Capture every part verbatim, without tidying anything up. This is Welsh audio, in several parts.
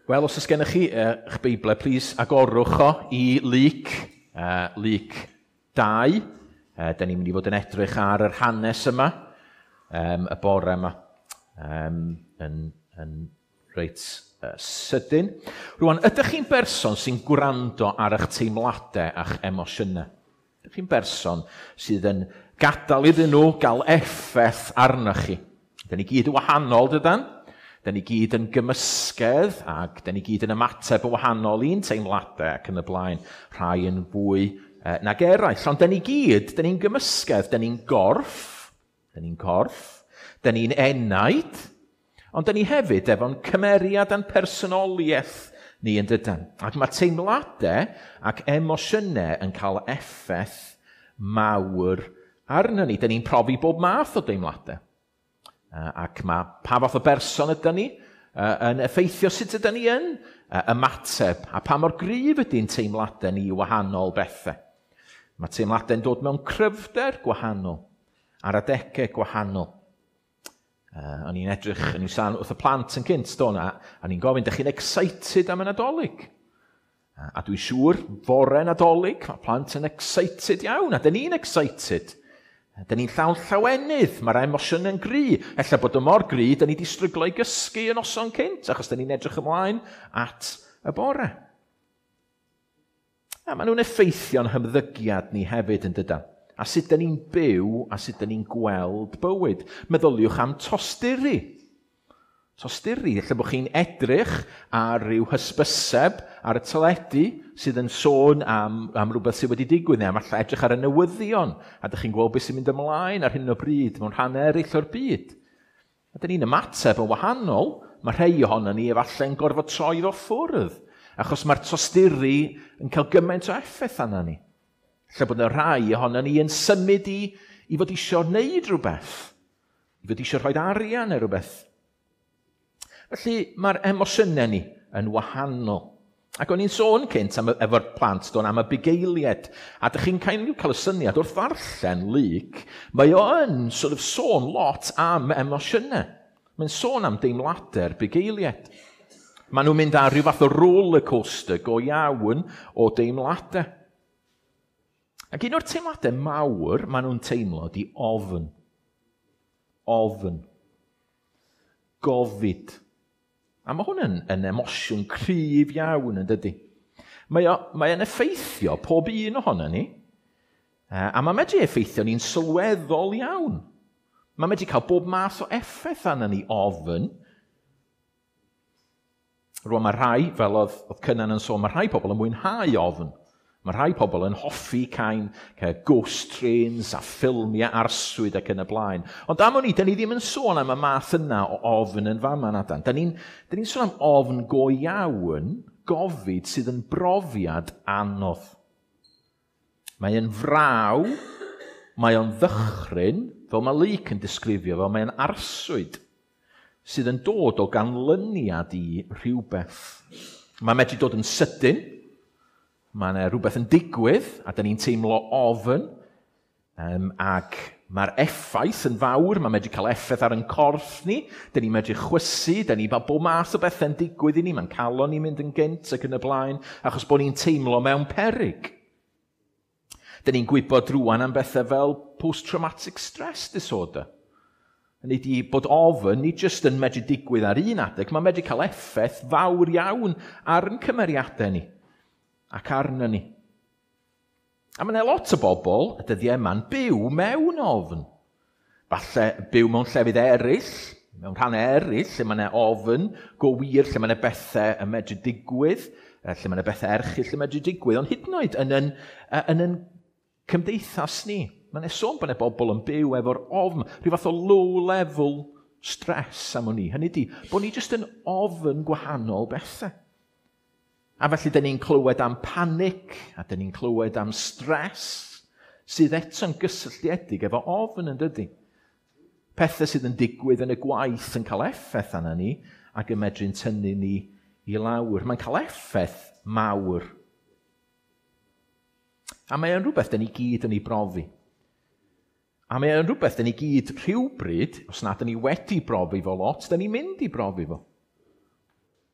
Wel, os oes gennych chi uh, eich Beiblau, plis agorwch o i Luc, uh, Luc dau. Uh, da ni'n mynd i fod yn edrych ar yr hanes yma, um, y bore yma, um, yn, yn reit uh, sydyn. Rwan, ydych chi'n berson sy'n gwrando ar eich teimladau a'ch emosiynau? Ydych chi'n berson sydd yn gadael iddyn nhw gael effaith arnoch chi? Da ni gyd yn wahanol, dydan? Da ni gyd yn gymysgedd ac da ni gyd yn ymateb yn wahanol i'n teimladau ac yn y blaen, rhai yn fwy eh, nag eraill. Ond da ni gyd, da ni'n gymysgedd, da ni'n gorff, da ni'n corff, da ni'n enaid, ond da ni hefyd efo'n cymeriad a'n personoliaeth ni yn dydan. Ac mae teimladau ac emosiynau yn cael effaith mawr arno ni. Da ni'n profi bob math o deimladau. Ac mae pa fath o berson ydyn ni yn effeithio sut ydyn ni yn ymateb a pa mor gryf ydy'n teimladau ni i wahanol bethau. Mae teimladau'n dod mewn cryfder gwahanol, ar adegau gwahanol. Uh, o'n i'n edrych, o'n i'n sôn wrth y plant yn cynt, do, a o'n i'n gofyn, dych chi'n excited am y Nadolig? A, a dwi'n siŵr, fore Nadolig, mae plant yn excited iawn, a dyn ni'n excited. Dyn ni'n llawn llawenydd, mae'r emosiwn yn gry. Ella bod o mor gry, dyn ni wedi stryglo i gysgu yn noson cynt, achos dyn ni'n edrych ymlaen at y bore. A maen nhw'n effeithio'n hymddygiad ni hefyd yn dydan. A sut dyn ni'n byw a sut dyn ni'n gweld bywyd. Meddyliwch am tosturi. Tosturi, lle bod chi'n edrych ar ryw hysbyseb ar y teledu sydd yn sôn am, am rhywbeth sydd wedi digwydd, neu am falle edrych ar y newyddion, a dych chi'n gweld beth sy'n mynd ymlaen ar hyn o bryd mewn rhan eraill o'r byd. A dyn ni'n ymateb yn wahanol, mae rhai ohono ni efallai yn gorfod troi fo ffwrdd, achos mae'r tosturi yn cael gymaint o effaith arna ni. Lle bod y rhai ohono ni yn symud i, i fod eisiau wneud rhywbeth, i fod eisiau rhoi arian neu rhywbeth. Felly mae'r emosiynau ni yn wahanol. Ac o'n i'n sôn cynt am, efo'r plant do'n am y bugeiliaid. A dych chi'n cael, cael y syniad wrth ddarllen Luc, mae o yn sort of sôn lot am emosiynau. Mae'n sôn am deimladau'r bugeiliaid. Maen nhw'n mynd ar rhyw fath o roller coaster go iawn o deimladau. Ac un o'r teimladau mawr maen nhw'n teimlo di ofn. Ofn. Gofid. A mae hwn yn, yn emosiwn cryf iawn yn dydy. Mae o, mae o'n effeithio pob un ohono ni. A mae medru effeithio ni'n sylweddol iawn. Mae medru cael bob math o effaith arno ni ofn. Rwan mae rhai, fel oedd, oedd Cynan yn sôn, mae rhai pobl yn mwynhau ofn. Mae rhai pobl yn hoffi cael ghost trains a ffilmiau arswyd ac yn y blaen. Ond am o'n i, da ni ddim yn sôn am y math yna o ofn yn fama nadan. Da ni'n ni sôn am ofn go iawn, gofid sydd yn brofiad anodd. Mae yn fraw, mae o'n ddychryn, fel mae Luc yn disgrifio, fel mae o'n arswyd, sydd yn dod o ganlyniad i rhywbeth. Mae'n medru dod yn sydyn. Mae yna rhywbeth yn digwydd, a da ni'n teimlo ofn, um, ac mae'r effaith yn fawr, mae'n medru cael effaith ar ein corff ni, da ni'n medru chwysu, da ni'n bob math o bethau'n digwydd i ni, mae'n calon ni'n mynd yn gynt ac yn y blaen, achos bod ni'n teimlo mewn peryg. Da ni'n gwybod rwan am bethau fel post-traumatic stress disorder. Hynny ydi bod ofn, nid jyst yn medru digwydd ar un adeg, mae'n medru cael effaith fawr iawn ar ein cymeriadau ni ac arno ni. A mae yna lot o bobl y dyddiau yma'n byw mewn ofn. Falle byw mewn llefydd eraill, mewn rhannau eraill, lle mae yna ofn go wir, lle mae yna bethau yn medru digwydd, lle mae yna bethau erchyll yn medru digwydd, ond hyd yn oed yn yn, yn, yn cymdeithas ni. Mae yna sôn bod yna bobl yn byw efo'r ofn, rhyw fath o low-level stress am o'n i. Hynny ydi, bod ni jyst yn ofn gwahanol bethau. A felly, dyn ni'n clywed am panic, a dyn ni'n clywed am stress, sydd eto'n gysylltiedig efo ofn yn dydy. Pethau sydd yn digwydd yn y gwaith yn cael effaith arna ni, ac yn medru'n tynnu ni i lawr. Mae'n cael effaith mawr. A mae o'n rhywbeth dyn ni gyd yn ei brofi. A mae o'n rhywbeth dyn ni gyd rhywbryd, os na dyn ni wedi brofi fo lot, dyn ni'n mynd i brofi fo.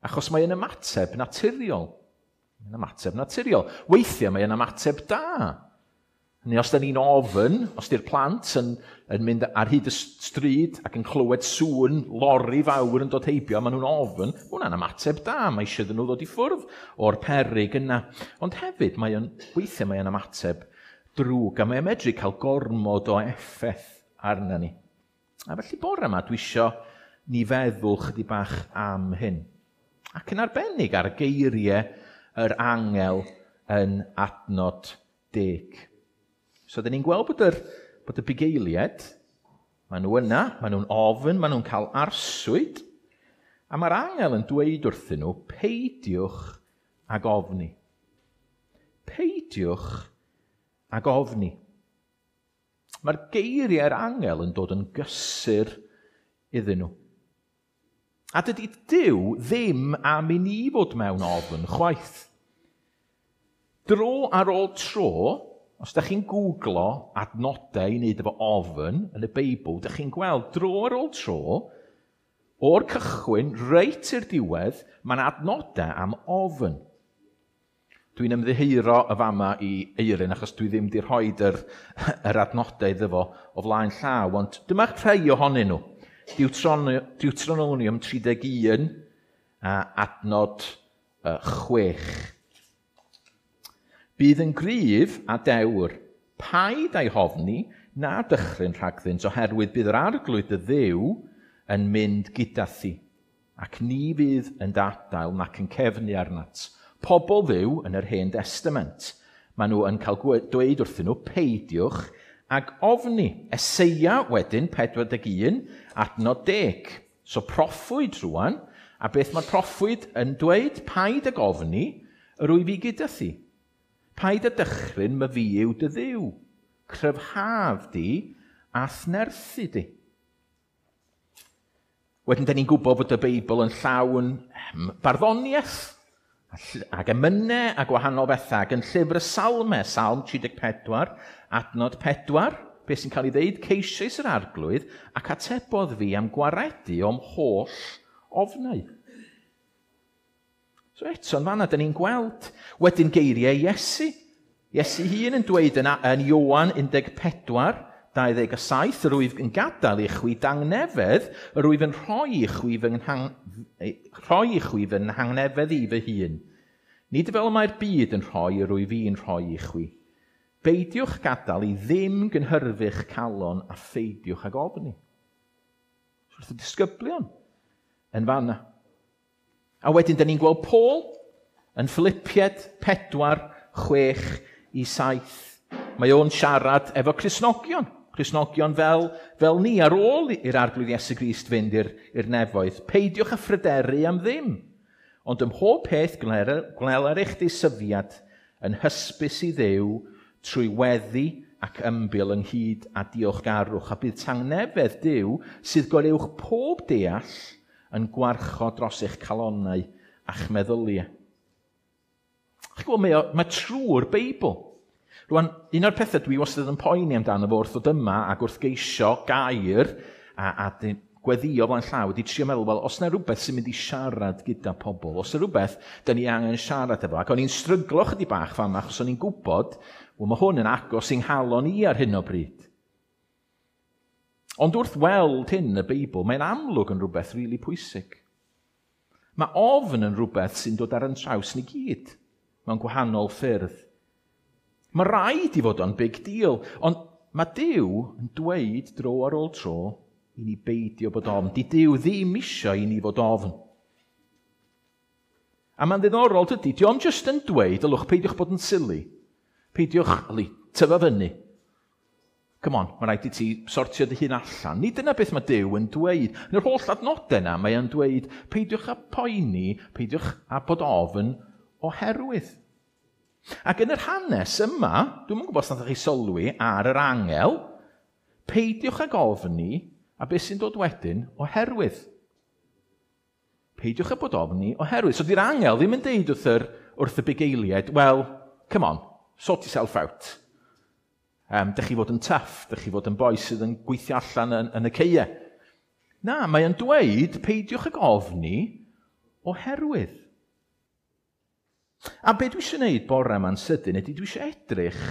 Achos mae'n ymateb naturiol. Mae'n ymateb naturiol. Weithiau mae'n ymateb da. Neu os da ni'n ofn, os di'r plant yn, yn mynd ar hyd y stryd ac yn clywed sŵn lori fawr yn dod heibio, maen nhw'n ofn, hwnna'n ymateb da, mae eisiau iddyn nhw ddod i ffwrdd o'r peryg yna. Ond hefyd, mae o'n, weithiau mae'n ymateb drwg, a mae'n medru cael gormod o effaith arna ni. A felly bore yma, dwi isio ni feddwl chydig bach am hyn. Ac yn arbennig ar geiriau yr angel yn adnod deg. So, dyn ni'n gweld bod, yr, bod y bugeiliaid, maen nhw yna, maen nhw'n ofn, maen nhw'n cael arswyd, a mae'r angel yn dweud wrthyn nhw, peidiwch ag ofni. Peidiwch ag ofni. Mae'r geiriau'r angel yn dod yn gysur iddyn nhw. A dydy Duw ddim am i ni fod mewn ofn chwaith. Dro ar ôl tro, os da chi'n googlo adnodau i wneud efo ofn yn y Beibl, da chi'n gweld dro ar ôl tro, o'r cychwyn reit i'r diwedd, mae'n adnodau am ofn. Dwi'n ymddiheuro y fama i Eirin, achos dwi ddim wedi rhoi yr, yr adnodau iddo fo o flaen llaw, ond dyma rhai ohonyn nhw. Deuteronomium tri deg un a adnod chwech. Bydd yn gryf a dewr, paid a'i hofni na dychryn rhagddynt, oherwydd bydd yr arglwydd dy Dduw yn mynd gyda thi, ac ni fydd yn dadael nac yn cefnu arnat. Pobl Dduw yn yr Hen Testament, maen nhw yn cael dweud wrthyn nhw, peidiwch ag ofni. Eseia wedyn, pedwar deg un, adnod deg. So proffwyd rwan, a beth mae'r proffwyd yn dweud? Paid ag ofni, yr wyf fi gyda thi. Paid â dychryn, my fi yw dy Dduw. Cryfhaf di a thnerthu di. Wedyn, da ni'n gwybod bod y Beibl yn llawn barddoniaeth ac emynau a gwahanol bethau, ac yn llyfr y Salmau, Salm tri deg pedwar, adnod pedwar, beth sy'n cael ei ddeud, ceisiais yr arglwydd ac atebodd fi am gwaredu o'm holl ofnau. So eto, yn fanna, da ni'n gweld wedyn geiriau Iesu. Iesu hun yn dweud yn, yn Ioan un deg pedwar, dau ddeg a saith, yr wyf yn gadael i chwi dangnefedd, yr wyf yn rhoi i chwi fy nghang, rhoi i chwi fy nghangnefedd i fy hun. Nid fel mae'r byd yn rhoi, yr wyf i'n rhoi i chwi. Beidiwch gadael i ddim gynhyrfu'ch calon a pheidiwch ag ofni. Wrth y disgyblion yn fanna. A wedyn, da ni'n gweld Paul yn Philippiaid pedwar, chwech i saith. Mae o'n siarad efo Cristnogion. Cristnogion fel, fel ni ar ôl i'r Arglwydd Iesu Grist fynd i'r, i'r nefoedd. Peidiwch â phryderu am ddim, ond ym mhob peth gweler eich deisyfiad yn hysbys i Dduw trwy weddi ac ymbil ynghyd â diolchgarwch, a bydd tangnefedd Duw sydd goruwch pob deall yn gwarchod dros eich calonnau a'ch meddyliau. Chi'n gwybod, mae, mae trwy'r Beibl. Rwan, un o'r pethau dwi wastad yn poeni amdano fo wrth ddod yma ac wrth geisio gair a, a gweddio flaen llaw wedi trio meddwl, wel, os yna rhywbeth sy'n mynd i siarad gyda pobl, os yna rhywbeth da ni angen siarad efo, ac o'n i'n stryglo chydig bach fama, achos o'n i'n gwybod, wel, mae hwn yn agos i'n nghalon i ar hyn o bryd. Ond wrth weld hyn yn y Beibl, mae'n amlwg yn rhywbeth rili really pwysig. Mae ofn yn rhywbeth sy'n dod ar yn traws ni gyd, mewn gwahanol ffyrdd. Mae rhaid i fod o'n big deal, ond mae Duw yn dweud dro ar ôl tro i ni beidio bod ofn. Di Duw ddim isio i ni fod ofn. A mae'n ddiddorol dydy, di o'm jyst yn dweud, ylwch, peidiwch bod yn silly. Peidiwch, yli, tyfa fyny. Come on, mae rhaid i ti sortio dy hun allan. Nid dyna beth mae Duw yn dweud. Yn yr holl adnodau yna, mae o'n dweud, peidiwch â poeni, peidiwch â bod ofn oherwydd. Ac yn yr hanes yma, dwi'm yn gwybod os nathoch chi sylwi ar yr angel, peidiwch ag ofni, a beth sy'n dod wedyn, oherwydd. Peidiwch â bod ofni oherwydd. So di'r angel ddim yn deud wrth, yr, wrth y bugeiliaid, well, come on, sort yourself out. Um, dych chi fod yn tough, dych chi fod yn boi sydd yn gweithio allan yn, yn y ceie. Na, mae o'n dweud, peidiwch ag ofni oherwydd. A be dwi eisiau gwneud bore yma'n sydyn ydy dwi eisiau edrych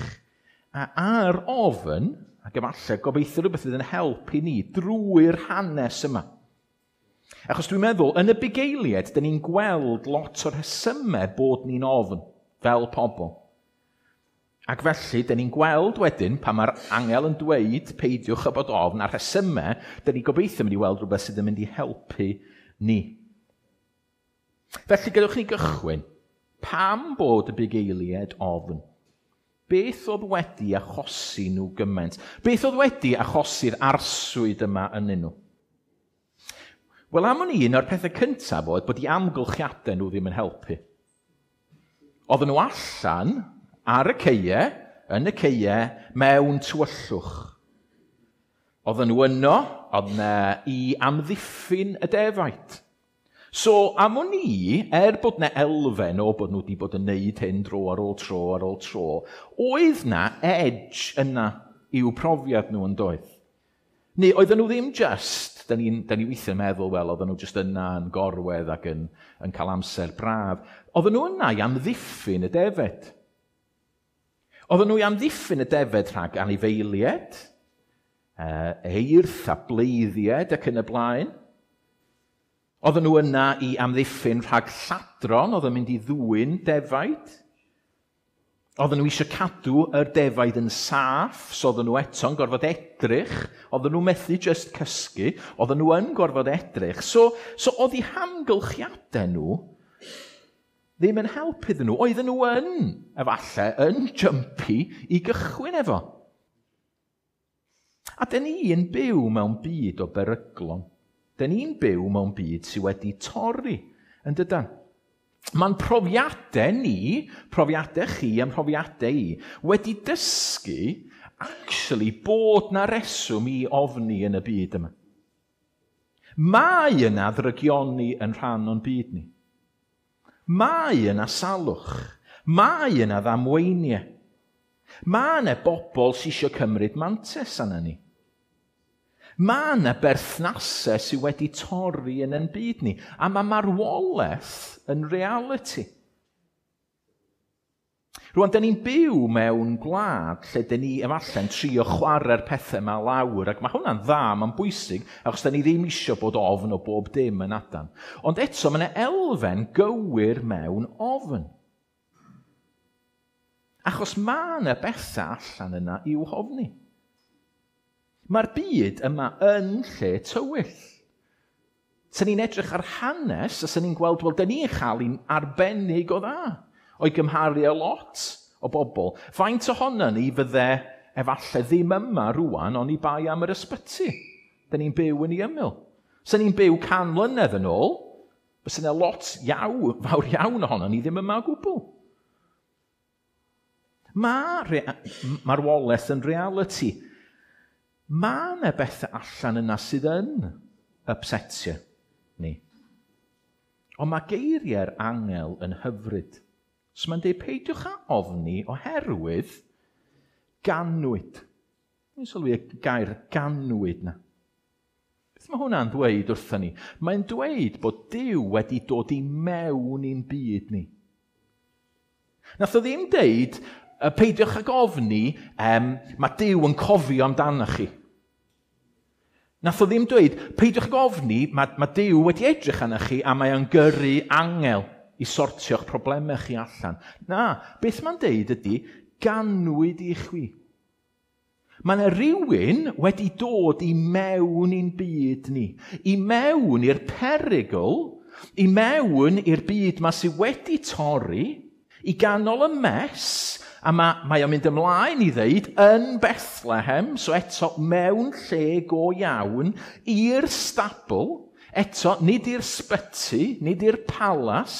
ar ofn, ac efallai gobeithio rhywbeth fydd yn helpu ni drwy'r hanes yma. Achos dwi'n meddwl, yn y bugeiliaid, dyn ni'n gweld lot o'r rhesymau bod ni'n ofn, fel pobl. Ac felly, dyn ni'n gweld wedyn, pan mae'r angel yn dweud peidiwch â bod ofn, a'r rhesymau, dyn ni'n gobeithio mynd i weld rhywbeth sydd yn mynd i helpu ni. Felly, gadewch ni gychwyn. Pam bod y bugeiliaid ofn? Beth oedd wedi achosi nhw gymaint? Beth oedd wedi achosi'r arswyd yma ynddyn nhw? Wel, am wn i, un o'r pethau cyntaf oedd bod eu amgylchiadau nhw ddim yn helpu. Oedden nhw allan ar y caeau, yn y caeau, mewn tywyllwch. Oedden nhw yno, oedd 'na i amddiffyn y defaid. So, am wn i, er bod 'na elfen o bod nhw wedi bod yn neud hyn dro ar ôl tro ar ôl tro, oedd 'na edge yna i'w profiad nhw yn doedd. Neu oedden nhw ddim just, da ni'n da ni weithiau meddwl, wel, oedden nhw just yna yn gorwedd ac yn, yn cael amser braf. Oedden nhw yna i amddiffyn y defed. Oedden nhw i amddiffyn y defed rhag anifeiliaid, eirth a bleiddiaid ac yn y blaen. Oedden nhw yna i amddiffyn rhag lladron, oedd yn mynd i ddwyn defaid. Oedden nhw eisiau cadw yr defaid yn saff, so oedden nhw eto'n gorfod edrych. Oedden nhw methu just cysgu, oedden nhw yn gorfod edrych. So, so oedd eu hamgylchiadau nhw ddim yn help iddyn nhw. Oedden nhw yn, efallai, yn jumpy i gychwyn efo. A dyn ni'n byw mewn byd o beryglon. Dyn ni'n byw mewn byd sydd wedi torri, yn dydan? Mae'n profiadau ni, profiadau chi a'n profiadau i, wedi dysgu actually bod na reswm i ofni yn y byd yma. Mae yna ddrygioni yn rhan o'n byd ni. Mae yna salwch. Mae yna ddamweiniau. Mae yna bobl sydd eisiau cymryd mantais arna ni. Mae yna berthnasau sydd wedi torri yn ein byd ni, a mae marwolaeth yn reality. Rwan, da ni'n byw mewn gwlad lle da ni efallai'n trio chwarae'r pethau yma lawr, ac mae hwnna'n dda, mae'n bwysig, achos da ni ddim eisiau bod ofn o bob dim yn adan. Ond eto, mae yna elfen gywir mewn ofn. Achos mae yna bethau allan yna i'w hofni. Mae'r byd yma yn lle tywyll. Sen ni'n edrych ar hanes, a sen ni'n gweld, wel, da ni'n chael un arbennig o dda, o'i gymharu â lot o bobl. Faint ohono ni fydde efallai ddim yma rwan, oni bai am yr ysbyty. Da ni'n byw yn ei ymyl. Sen ni'n byw can mlynedd yn ôl, fysa yna lot iawn, fawr iawn ohono ni ddim yma o gwbl. Mae marwolaeth yn reality. Mae yna bethau allan yna sydd yn upsetio ni. Ond mae geiriau'r angel yn hyfryd. So mae'n dweud, peidiwch â ofni oherwydd ganwyd. Ni'n sylwi y gair ganwyd na. Beth mae hwnna'n dweud wrthyn ni? Mae'n dweud bod Duw wedi dod i mewn i'n byd ni. Nath o ddim deud, peidiwch ag ofni, um, mae Duw yn cofio amdanoch chi. Nath o ddim dweud, peidiwch ag ofni, mae, mae Duw wedi edrych arnoch chi a mae o'n gyrru angel i sortio'ch problemau chi allan. Na, beth mae'n deud ydy, ganwyd i chwi. Mae yna rhywun wedi dod i mewn i'n byd ni, i mewn i'r perygl, i mewn i'r byd ma sydd wedi torri, i ganol y mess, a mae, mae o'n mynd ymlaen i ddeud yn Bethlehem, so eto mewn lle go iawn, i'r stabl, eto nid i'r sbyty, nid i'r palas,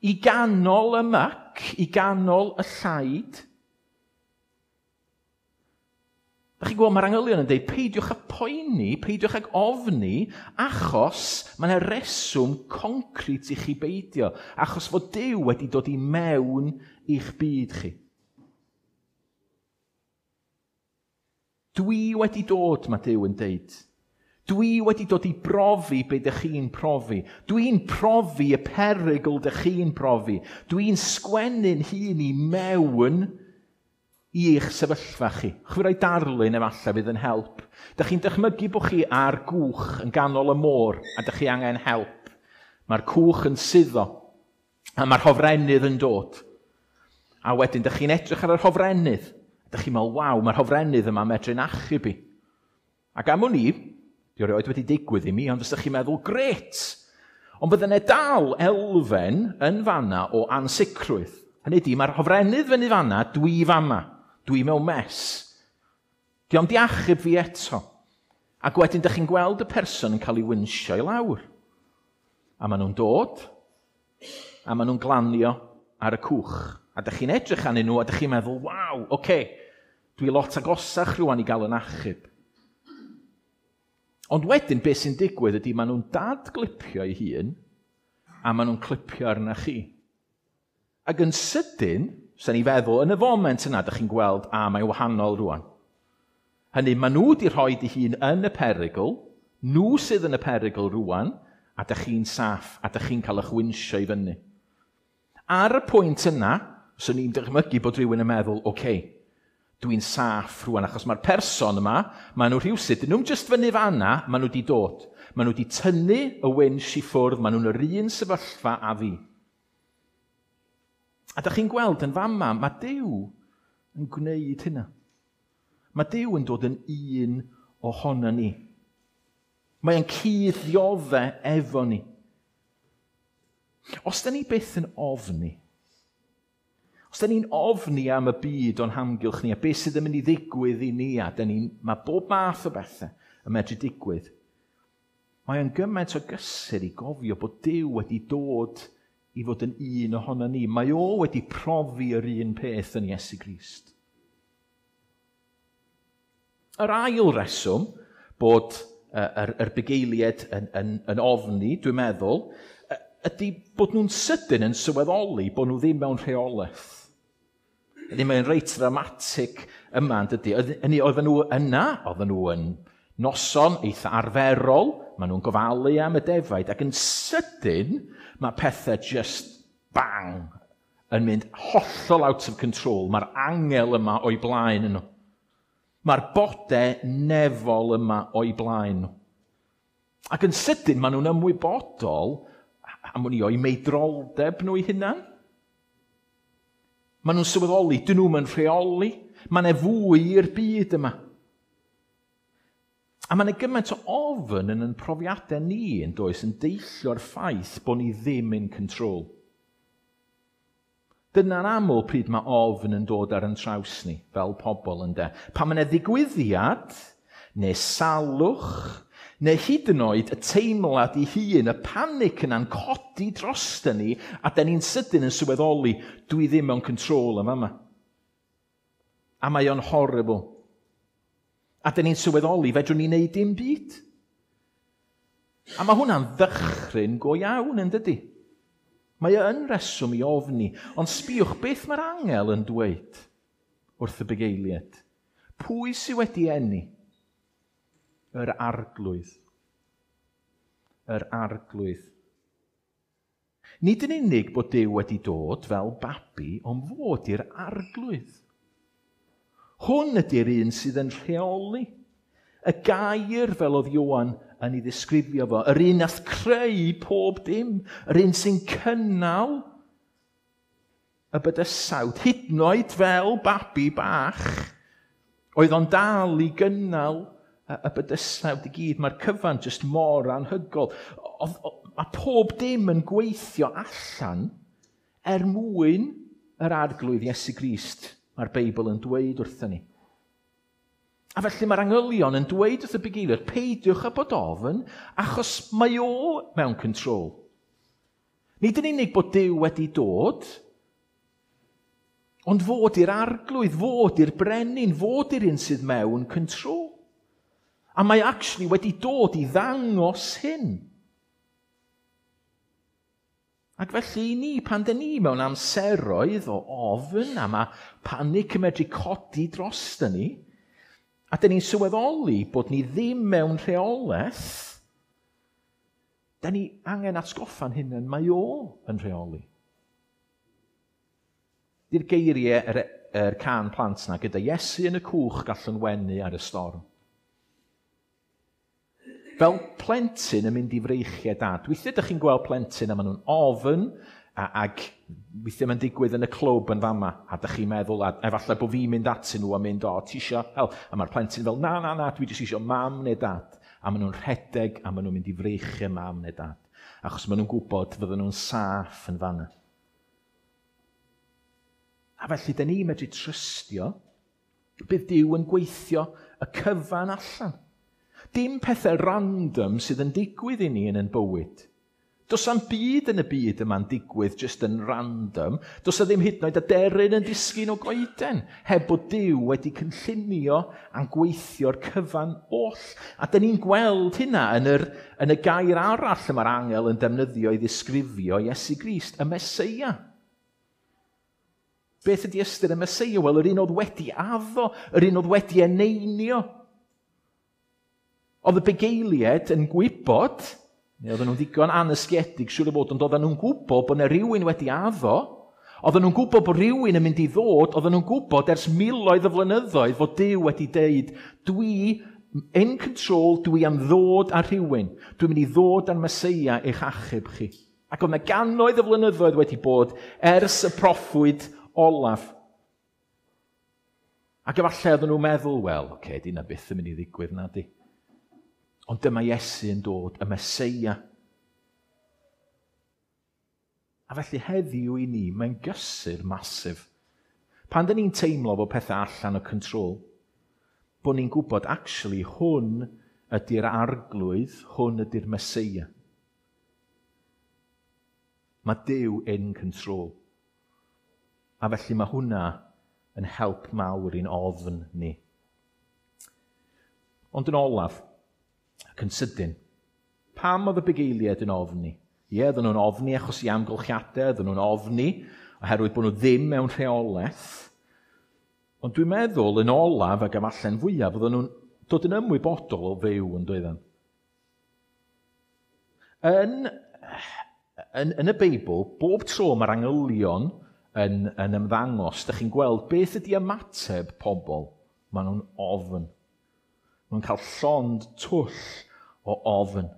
i ganol y myc, i ganol y llaid. Da chi'n gweld, mae'r angylion yn dweud, peidiwch â poeni, peidiwch ag ofni, achos mae yna reswm concret i chi beidio, achos fod Duw wedi dod i mewn i'ch byd chi. Dwi wedi dod, mae Duw yn dweud. Dwi wedi dod i brofi be dych chi'n profi. Dwi'n profi y perygl dych chi'n profi. Dwi'n sgwennu'n hun i mewn i'ch sefyllfa chi. Chwi roi darlun efallai fydd yn help. Dych chi'n dychmygu bod chi ar gwch yn ganol y môr a dych chi angen help. Mae'r cwch yn suddo a mae'r hofrennydd yn dod. A wedyn dych chi'n edrych ar yr hofrennydd. Dych chi'n meddwl, waw, mae'r hofrennydd yma medru'n achub i. Ac am wn i, di erioed wedi digwydd i mi, ond os ydych chi'n meddwl, gret! Ond bydde yna dal elfen yn fanna o ansicrwydd. Hynny ydi, mae'r hofrennydd fyny fanna, dwi fama, dwi mewn mess. Di o'm di achub fi eto. Ac wedyn, dych chi'n gweld y person yn cael ei winsio i lawr. A maen nhw'n dod, a maen nhw'n glanio ar y cwch. A dych chi'n edrych arnyn nhw, a dych chi'n meddwl, waw, oce, okay, dwi lot agosach rwan i gael yn achub. Ond wedyn, beth sy'n digwydd ydy maen nhw'n dadglipio eu hun, a maen nhw'n clipio arna chi. Ac yn sydyn, sa'n i feddwl, yn y foment yna, dych chi'n gweld, a mae'n wahanol rwan. Hynny, maen nhw wedi rhoi eu hun yn y perygl, nhw sydd yn y perygl rwan, a dych chi'n saff, a dych chi'n cael eich winsio i fyny. Ar y pwynt yna, swn i'n dychmygu bod rhywun yn meddwl, oce, okay, dwi'n saff rwan, achos mae'r person yma, maen nhw rhywsut, dyn nhw'n just fyny fanna, maen nhw wedi dod. Maen nhw wedi tynnu y winch i ffwrdd, maen nhw'n yr un sefyllfa a fi. A dych chi'n gweld yn fama, mae Duw yn gwneud hynna. Mae Duw yn dod yn un ohono ni. Mae o'n cyd-ddiodde efo ni. Os da ni byth yn ofni, os da ni'n ofni am y byd o'n hamgylch ni, a beth sydd yn mynd i ddigwydd i ni, a da ni'n, mae bob math o bethau yn medru digwydd, mae o'n gymaint o gysur i gofio bod Duw wedi dod i fod yn un ohono ni. Mae o wedi profi yr un peth yn Iesu Grist. Yr ail reswm bod yr, yr bugeiliaid yn, yn, yn ofni, dwi'n meddwl, ydy bod nhw'n sydyn yn sylweddoli bod nhw ddim mewn rheolaeth. Ydy, mae'n reit dramatig yma, yn dydy. Hynny, oedden nhw yna, oedden nhw yn noson eitha arferol, maen nhw'n gofalu am y defaid, ac yn sydyn mae pethau just bang yn mynd hollol out of control. Mae'r angel yma o'i blaen nhw. Mae'r bodau nefol yma o'i blaen nhw. Ac yn sydyn maen nhw'n ymwybodol am wn i o'i meidroldeb nhw eu hunan. Maen nhw'n sylweddoli, dyn nhw'n yn rheoli. Mae yna fwy i'r byd yma. A mae yna gymaint o ofn yn ein profiadau ni yn does yn deillio'r ffaith bod ni ddim in control. Dyna'n aml pryd mae ofn yn dod ar yn traws ni, fel pobl ynde. Pan mae yna ddigwyddiad, neu salwch, neu hyd yn oed y teimlad ei hun, y panic yna'n codi drosta ni, a da ni'n sydyn yn sylweddoli, dwi ddim mewn control yma yma. A mae o'n horrible. A da ni'n sylweddoli, fedrwn ni wneud dim byd. A mae hwnna'n ddychryn go iawn, yn dydy? Mae o yn reswm i ofni, ond sbïwch beth mae'r angel yn dweud wrth y bugeiliaid. Pwy sydd wedi eni? Yr arglwydd. Yr arglwydd. Nid yn unig bod Duw wedi dod fel babi, ond fod i'r arglwydd. Hwn ydy'r un sydd yn rheoli. Y gair, fel oedd Ioan yn ei ddisgrifio fo, yr un nath creu pob dim, yr un sy'n cynnal y bydysawd, hyd yn oed fel babi bach, oedd o'n dal i gynnal y bydysawd i gyd. Mae'r cyfan jyst mor anhygol. Oedd, mae pob dim yn gweithio allan er mwyn yr arglwydd Iesu Grist, mae'r Beibl yn dweud wrthyn ni. A felly mae'r angylion yn dweud wrth y bugeiliaid, peidiwch â bod ofn, achos mae o mewn control. Nid yn unig bod Duw wedi dod, ond fod i'r arglwydd, fod i'r brenin, fod i'r un sydd mewn control. A mae actually wedi dod i ddangos hyn. Ac felly i ni, pan dyn ni mewn amseroedd o ofn, a mae panic yn medru codi drosta ni, A dyn ni'n sylweddoli bod ni ddim mewn rheolaeth, dyn ni angen atgoffa'n hunain, mae o yn rheoli. Di'r geiriau yr, yr cân plant na, gyda Iesu yn y cwch gallwn wenu ar y storm. Fel plentyn yn mynd i freichiau dad. Weithiau ydych chi'n gweld plentyn a maen nhw'n ofn, a, ac weithiau mae'n digwydd yn y clwb yn fama, a ydych chi'n meddwl, a efallai bod fi'n mynd atyn nhw a mynd, o, ti isio help? A mae'r plentyn fel, na, na, na, dwi jyst isio mam neu dad. A maen nhw'n rhedeg, a maen nhw'n mynd i freichiau mam neu dad. Achos maen nhw'n gwybod fydden nhw'n saff yn fanna. A felly, da ni'n medru trystio, bydd Duw yn gweithio y cyfan allan. Dim pethau random sydd yn digwydd i ni yn ein bywyd. Does am byd yn y byd yma'n digwydd just yn random. Does a ddim hyd yn oed aderyn yn disgyn o goeden, heb bod Duw wedi cynllunio a'n gweithio'r cyfan oll. A dyn ni'n gweld hynna yn, yr, yn y gair arall y mae'r angel yn defnyddio i ddisgrifio Iesu Grist, y Meseia. Beth ydy ystyr y Meseia? Wel, yr un oedd wedi addo, yr un oedd wedi eneinio. Oedd y bugeiliaid yn gwybod, neu oedden nhw'n ddigon anysgiedig, siŵr o fod, ond oedden nhw'n gwybod bod yna rhywun wedi addo, oedden nhw'n gwybod bod rhywun yn mynd i ddod, oedden nhw'n gwybod ers miloedd o flynyddoedd fod Duw wedi deud, dwi in control, dwi am ddod ar rhywun, dwi'n mynd i ddod ar Meseia eich achub chi. Ac oedd yna gannoedd o flynyddoedd wedi bod ers y proffwyd olaf. Ac efallai oedden nhw'n meddwl, wel, oce, okay, di na byth yn mynd i ddigwydd na di. Ond dyma Iesu yn dod, y Meseia. A felly heddiw i ni, mae'n gysur masif. Pan dyn ni'n teimlo bod pethau allan o control, bod ni'n gwybod, actually, hwn ydy'r arglwydd, hwn ydy'r Meseia. Mae Duw in control. A felly mae hwnna yn help mawr i'n ofn ni. Ond yn olaf, ac yn sydyn, pam oedd y bugeiliaid yn ofni? Ie, oedden nhw'n ofni achos i amgylchiadau, oedden nhw'n ofni oherwydd bod nhw ddim mewn rheolaeth. Ond dwi'n meddwl yn olaf ac efallai'n fwyaf, oedden nhw'n dod yn ymwybodol o fyw yn doedden. Yn, yn, yn y Beibl, bob tro mae'r angylion yn, yn ymddangos, dych chi'n gweld beth ydy ymateb pobl. Maen nhw'n ofn. Maen nhw'n cael llond twll o ofn.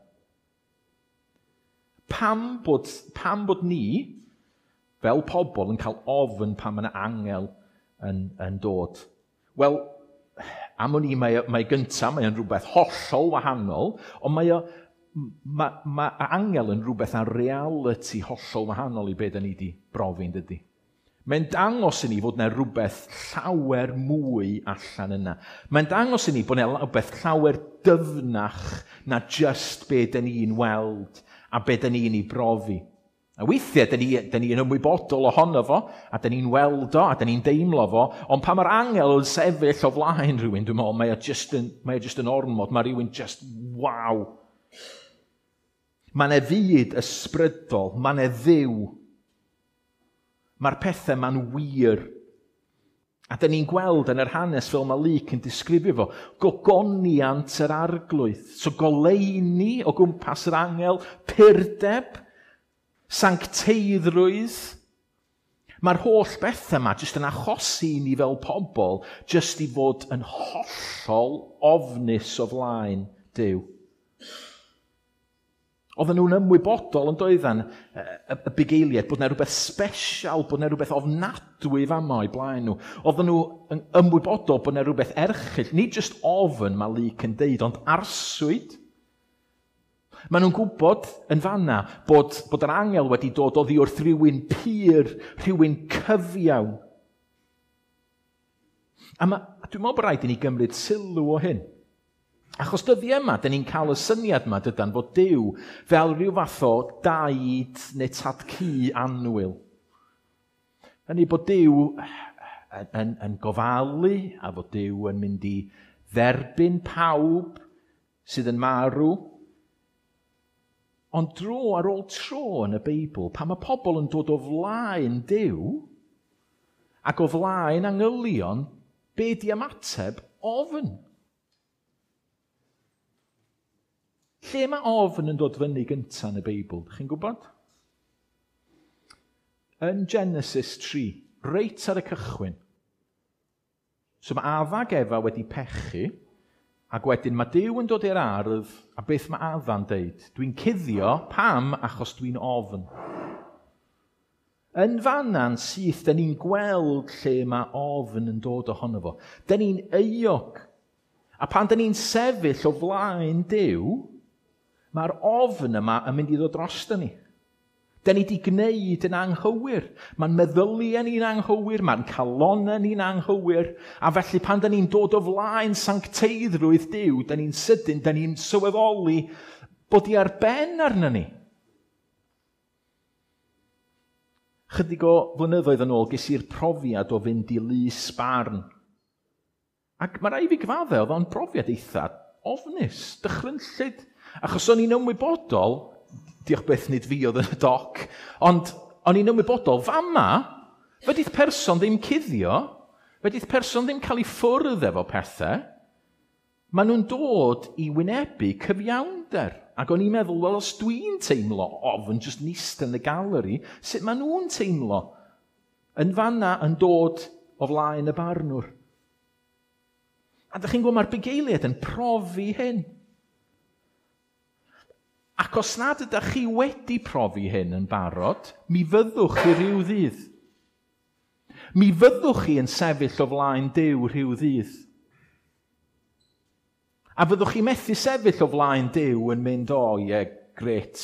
Pam bod, pam bod ni, fel pobl, yn cael ofn pan mae yna angel yn, yn dod? Wel, am wn i, mae, mae gyntaf, mae o'n rhywbeth hollol wahanol, ond mae, o, mae, mae angel yn rhywbeth ar reality hollol wahanol i beth da ni wedi brofi'n dydy. Mae'n dangos i ni fod yna rhywbeth llawer mwy allan yna. Mae'n dangos i ni bod yna rhywbeth llawer dyfnach na just be da ni'n weld a be da ni'n ei brofi. A weithiau, da ni, da ni yn ymwybodol ohono fo, a da ni'n weld o, a da ni'n deimlo fo, ond pan mae'r angel yn sefyll o flaen rhywun, dwi'n meddwl, mae o just yn, mae o just yn ormod, mae rhywun just, waw. Mae yna fyd ysbrydol, mae yna Dduw. Mae'r pethau ma'n wir. A da ni'n gweld yn yr hanes fel mae Luc yn disgrifio fo, gogoniant yr arglwydd. So goleuni o gwmpas yr angel, purdeb, sancteiddrwydd. Mae'r holl bethau yma jyst yn achosi i ni fel pobl, jyst i fod yn hollol ofnus o flaen Duw. Oedden nhw'n ymwybodol yn doeddan y, y bugeiliaid bod yna rhywbeth special, bod yna rhywbeth ofnadwy fama o'i blaen nhw. Oedden nhw yn ymwybodol bod yna rhywbeth erchyll, nid just ofn mae Luc yn deud, ond arswyd. Maen nhw'n gwybod yn fanna bod, bod yr angel wedi dod oddi wrth rhywun pur, rhywun cyfiawn. A, ma, a dwi'n meddwl bod rhaid i ni gymryd sylw o hyn. Achos dyddiau yma, dyn ni'n cael y syniad yma, dydan, fod Duw fel rhyw fath o daid neu tad-cu annwyl. Hynny bod Duw yn, yn, yn gofalu a fod Duw yn mynd i dderbyn pawb sydd yn marw. Ond dro ar ôl tro yn y Beibl, pan mae pobl yn dod o flaen Duw ac o flaen angylion, be di ymateb? Ofn. Lle mae ofn yn dod fyny gyntaf yn y Beibl? Chi'n gwybod? Yn Genesis tri, reit ar y cychwyn. So mae Adda ac Efa wedi pechu, ac wedyn mae Duw yn dod i'r ardd, a beth mae Adda'n deud? Dwi'n cuddio, pam? Achos dwi'n ofn. Yn fanna'n syth, da ni'n gweld lle mae ofn yn dod ohono fo. Da ni'n euog. A pan da ni'n sefyll o flaen Duw, mae'r ofn yma yn mynd i ddod drosto ni. Da ni wedi gwneud yn anghywir. Mae'n meddyliau ni'n anghywir, mae'n calonnau ni'n anghywir. A felly pan da ni'n dod o flaen sancteiddrwydd Duw, da ni'n sydyn, da ni'n sylweddoli bod i ar ben arno ni. Chydig o flynyddoedd yn ôl, ges i'r profiad o fynd i lys barn. Ac mae rhaid fi gyfadde, oedd o'n brofiad eitha ofnus, dychrynllyd. Achos o'n i'n ymwybodol, diolch byth nid fi oedd yn y doc, ond o'n i'n ymwybodol, fama, fedrith person ddim cuddio, fedrith person ddim cael ei ffwrdd efo pethau, maen nhw'n dod i wynebu cyfiawnder. Ac o'n i'n meddwl, wel, os dwi'n teimlo ofn jyst nist yn y galeri, sut maen nhw'n teimlo yn fanna yn dod o flaen y barnwr? A dych chi'n gwybod, mae'r bugeiliaid yn profi hyn. Ac os nad ydych chi wedi profi hyn yn barod, mi fyddwch chi rhyw ddydd. Mi fyddwch chi yn sefyll o flaen Duw rhyw ddydd. A fyddwch chi methu sefyll o flaen Duw yn mynd, o, ie, yeah, grêt.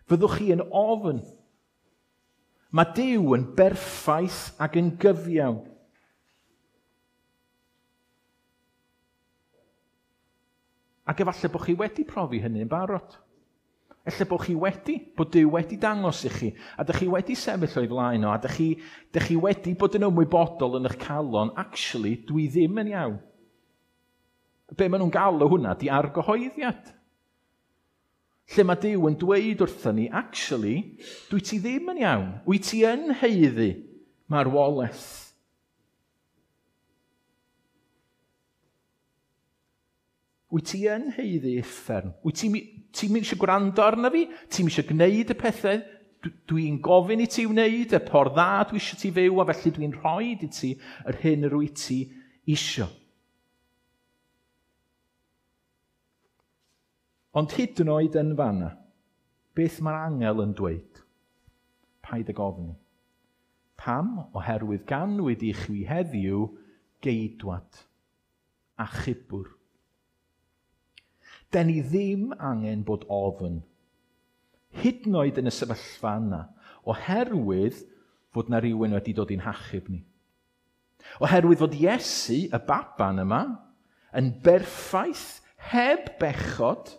Fyddwch chi yn ofn. Mae Duw yn berffaith ac yn gyfiawn. Ac efallai bod chi wedi profi hynny yn barod. Ella bod chi wedi, bod Duw wedi dangos i chi, a dych chi wedi sefyll o'i flaen o, a dych chi, dych chi wedi bod yn ymwybodol yn eich calon, actually, dwi ddim yn iawn. Be maen nhw'n galw hwnna, di argyhoeddiad. Lle mae Duw yn dweud wrthyn ni, actually, dwi ti ddim yn iawn. Wyt ti yn haeddu marwolaeth. Wyt ti yn haeddu uffern. Wyt ti'n ti eisiau gwrando arna fi? Ti'n eisiau gwneud y pethau dwi'n gofyn i ti wneud, y ffordd dda dwi eisiau ti fyw, a felly dwi'n rhoi i ti yr hyn yr wyt ti isio. Ond hyd yn oed yn fanna, beth mae'r angel yn dweud? Paid ag ofni. Pam? Oherwydd ganwyd i chwi heddiw geidwad, achubwr. Den ni ddim angen bod ofn, hyd yn oed yn y sefyllfa yna, oherwydd fod na rhywun wedi dod i'n hachub ni. Oherwydd fod Iesu, y baban yma, yn berffaith, heb bechod,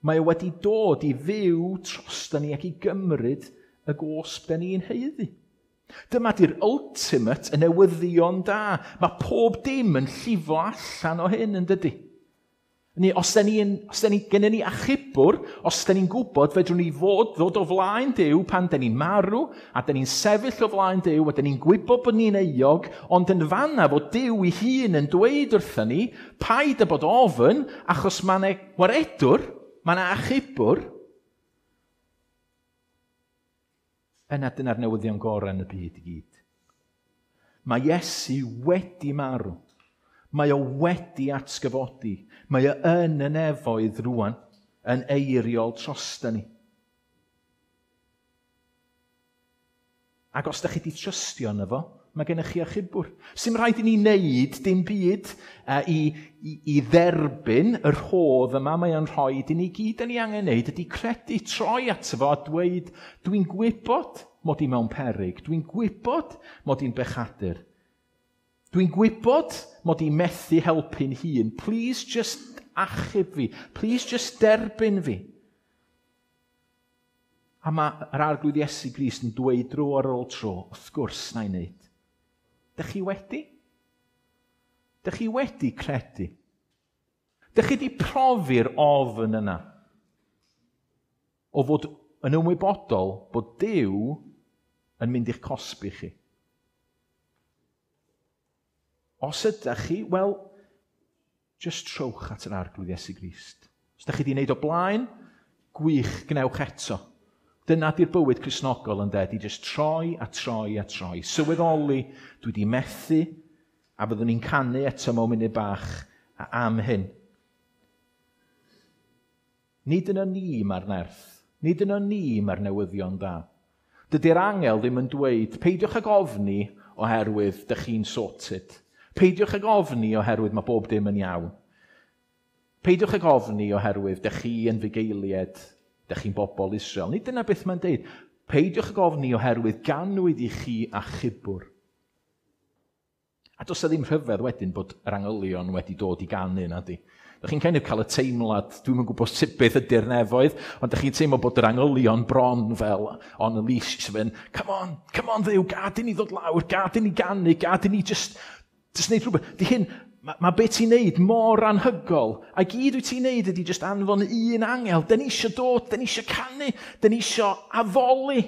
mae o wedi dod i fyw drosta ni ac i gymryd y gosb da ni'n haeddu. Dyma di'r ultimate, y newyddion da. Mae pob dim yn llifo allan o hyn, yn dydy? Ni, os da ni, os da ni, gennyn ni achubwr, os da ni'n gwybod, fedrwn ni fod, ddod o flaen Duw pan da ni'n marw, a da ni'n sefyll o flaen Duw, a da ni'n gwybod bod ni'n euog, ond yn fanna fod Duw ei hun yn dweud wrthyn ni, paid â bod ofn, achos mae 'na waredwr, mae 'na achubwr. Yna dyna'r newyddion gorau yn y byd i gyd. Mae Iesu wedi marw. Mae o wedi atgyfodi. Mae o yn y nefoedd rwan, yn eiriol drosta ni. Ac os da chi wedi trystio yno fo, mae gennych chi achubwr. Sdim rhaid i ni wneud dim byd uh, i, i, i dderbyn y rhodd yma mae o'n rhoi i ni gyd. Da ni angen wneud ydy credu, troi ato fo a dweud, dwi'n gwybod mod i mewn peryg, dwi'n gwybod mod i'n bechadur. Dwi'n gwybod mod i methu helpu'n hun. Please just achub fi. Please just derbyn fi. A mae'r Arglwydd Iesu Grist yn dweud dro ar ôl tro, wrth gwrs na i wneud. Dych chi wedi? Dych chi wedi credu? Dych chi wedi profi'r ofn yna? O fod yn ymwybodol bod Duw yn mynd i'ch cosbi chi. Os ydych chi, wel, just trowch at yr Arglwydd Iesu Grist. Os da chi wedi wneud o blaen, gwych, gwnewch eto. Dyna di'r bywyd Cristnogol yn de, di just troi a troi a troi. Sylweddoli, dwi wedi methu, a fyddwn ni'n canu eto mewn munud bach am hyn. Nid yno ni mae'r nerth, nid yno ni mae'r newyddion da. Dydy'r angel ddim yn dweud, peidiwch ag ofni oherwydd dych chi'n sorted. Peidiwch ag ofni oherwydd mae bob dim yn iawn. Peidiwch ag ofni oherwydd dych chi yn fugeilied, dych chi'n bobl Israel. Nid dyna beth mae'n deud. Peidiwch ag ofni oherwydd ganwyd i chi achubwr. A does 'na ddim rhyfedd wedyn bod yr angylion wedi dod i ganu na di. Dych chi'n kind of cael y teimlad, dwi'm yn gwybod sut beth ydy'r nefoedd, ond dych chi'n teimlo bod yr angylion bron fel on a leash, sy'n mynd, come on, come on Dduw, gad i ni ddod lawr, gad i ni ganu, gad i ni just, just neud rhywbeth. Di hyn, mae ma beth ti'n neud mor anhygoel, a gyd wyt ti'n neud ydy just anfon un angel. Da ni eisiau dod, da ni eisiau canu, da ni eisiau addoli.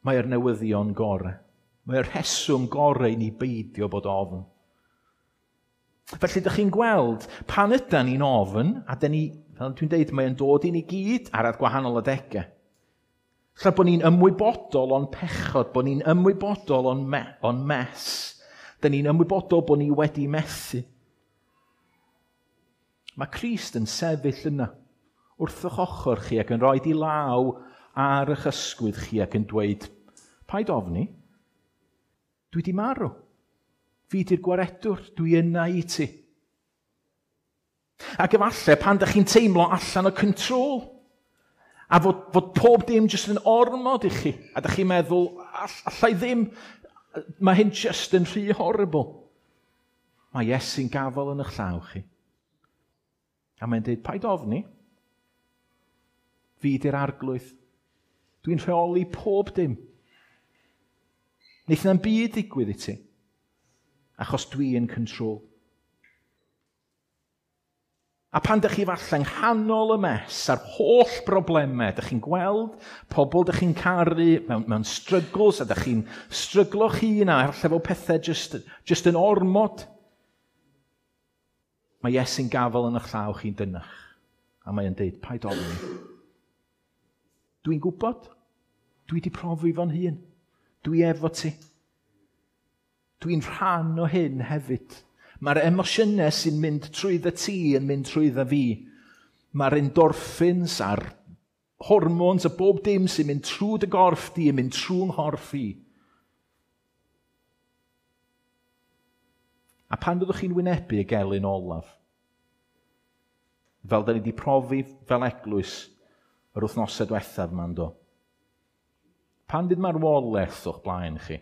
Mae'r newyddion gorau. Mae'r rheswm gorau i ni beidio bod ofn. Felly, ydych chi'n gweld, pan ydan ni'n ofn, a dyn ni, fel dwi'n deud, mae'n dod i ni gyd ar gwahanol adegau. Lle bod ni'n ymwybodol o'n pechod, bod ni'n ymwybodol o'n, me, o'n mess. Dyn ni'n ymwybodol bod ni wedi methu. Mae Crist yn sefyll yna, wrth eich ochr chi ac yn rhoi i law ar eich ysgwydd chi ac yn dweud, paid ofni, dwi di marw. Fi di'r gwaredwr, dwi yna i ti. Ac efallai pan ydych chi'n teimlo allan o control, a fod, fod pob dim jyst yn ormod i chi, a ydych chi'n meddwl, all, allai ddim, mae hyn jyst yn rhy horrible. Mae Iesu'n gafel yn eich llaw chi. A mae'n dweud, paid ofni, fi di'r arglwydd. Dwi'n rheoli pob dim. Neith na'm byd ddigwydd i ti, achos dwi yn control. A pan dych chi falle yng nghanol y mess a'r holl broblemau, dych chi'n gweld pobl dych chi'n caru mewn, mewn struggles, a dych chi'n stryglo chi a falle fel pethau just, just yn ormod. Mae Iesu'n gafel yn eich llaw chi'n dynach. A mae'n deud, paid ofni. Dwi'n gwybod. Dwi wedi profi fo'n hun. Dwi efo ti. Dwi'n rhan o hyn hefyd. Mae'r emosiynau sy'n mynd trwyddo ti yn mynd trwyddo fi. Mae'r endorphins a'r hormones a bob dim sy'n mynd trwy dy gorff di yn mynd trwy'n nghorff i. A pan fyddwch chi'n wynebu y gelyn olaf, fel da ni wedi profi fel eglwys yr wythnosau diwethaf yma'n do, pan fydd marwolaeth o'ch blaen chi,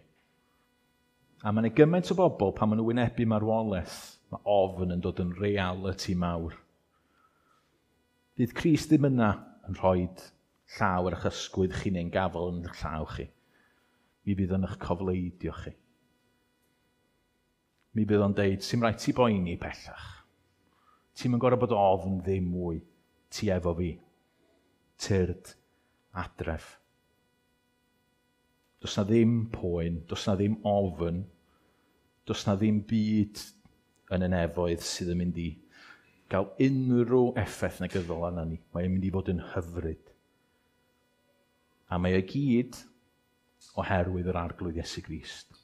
a mae yna gymaint o bobl pan maen nhw wynebu marwolaeth, mae ofn yn dod yn reality mawr. Fydd Crist ddim yna yn rhoi llaw ar eich ysgwydd chi neu'n gafel yn eich llaw chi. Mi fydd yn eich cofleidio chi. Mi fydd o'n deud, sy'm rhaid ti boeni pellach. Ti'm yn gorfod bod ofn ddim mwy. Ti efo fi. Tyrd adref. Does na ddim poen, does na ddim ofn, does na ddim byd yn y nefoedd sydd yn mynd i gael unrhyw effaith negyddol arna ni. Mae'n mynd i fod yn hyfryd. A mae o gyd oherwydd yr Arglwydd Iesu Grist.